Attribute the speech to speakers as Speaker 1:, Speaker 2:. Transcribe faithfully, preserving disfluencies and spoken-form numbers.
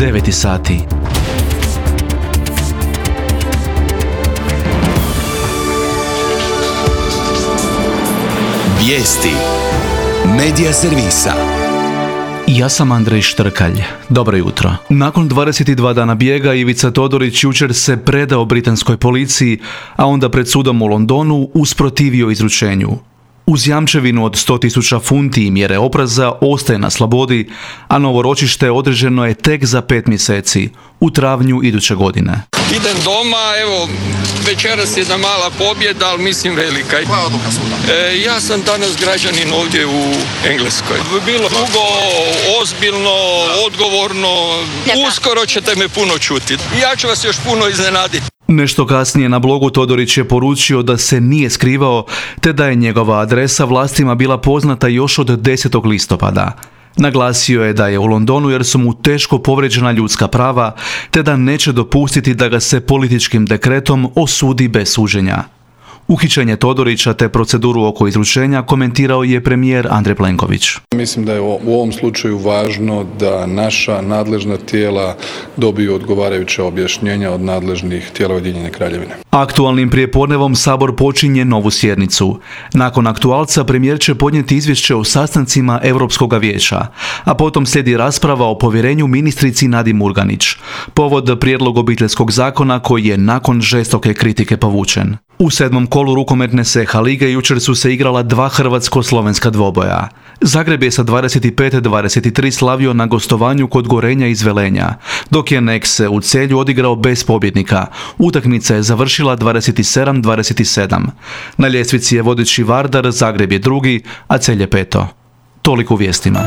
Speaker 1: deveti sati.
Speaker 2: Vijesti Medija servisa.
Speaker 1: Ja sam Andrej Štrkalj. Dobro jutro. Nakon dvadeset dva dana bijega, Ivica Todorić jučer se predao britanskoj policiji, a onda pred sudom u Londonu usprotivio izručenju. Uz jamčevinu od sto tisuća funti i mjere opreza ostaje na slobodi, a novo ročište određeno je tek za pet mjeseci, u travnju iduće godine.
Speaker 3: Idem doma, evo, večeras je jedna mala pobjeda, ali mislim velika.
Speaker 4: Koja je odluka suda?
Speaker 3: E, ja sam danas građanin ovdje u Engleskoj. Bilo dugo, ozbiljno, odgovorno, uskoro ćete me puno čuti. Ja ću vas još puno iznenaditi.
Speaker 1: Nešto kasnije na blogu Todorić je poručio da se nije skrivao, te da je njegova adresa vlastima bila poznata još od desetog listopada. Naglasio je da je u Londonu jer su mu teško povrijeđena ljudska prava, te da neće dopustiti da ga se političkim dekretom osudi bez suđenja. Uhićenje Todorića te proceduru oko izručenja komentirao je premijer Andrej Plenković.
Speaker 5: Mislim da je u ovom slučaju važno da naša nadležna tijela dobiju odgovarajuća objašnjenja od nadležnih tijela Ujedinjene Kraljevine.
Speaker 1: Aktualnim prijepodnevom Sabor počinje novu sjednicu. Nakon aktualca premijer će podnijeti izvješće o sastancima Europskog vijeća, a potom slijedi rasprava o povjerenju ministrici Nadi Murganić, povod prijedlog obiteljskog zakona koji je nakon žestoke kritike povučen. U sedmom kolu rukometne S H lige jučer su se igrala dva hrvatsko-slovenska dvoboja. Zagreb je sa dvadeset pet dvadeset tri slavio na gostovanju kod Gorenja iz Velenja, dok je Nexe u Celju odigrao bez pobjednika. Utakmica je završila dvadeset sedam dvadeset sedam. Na ljestvici je vodeći Vardar, Zagreb je drugi, a Celje peto. Toliko u vijestima.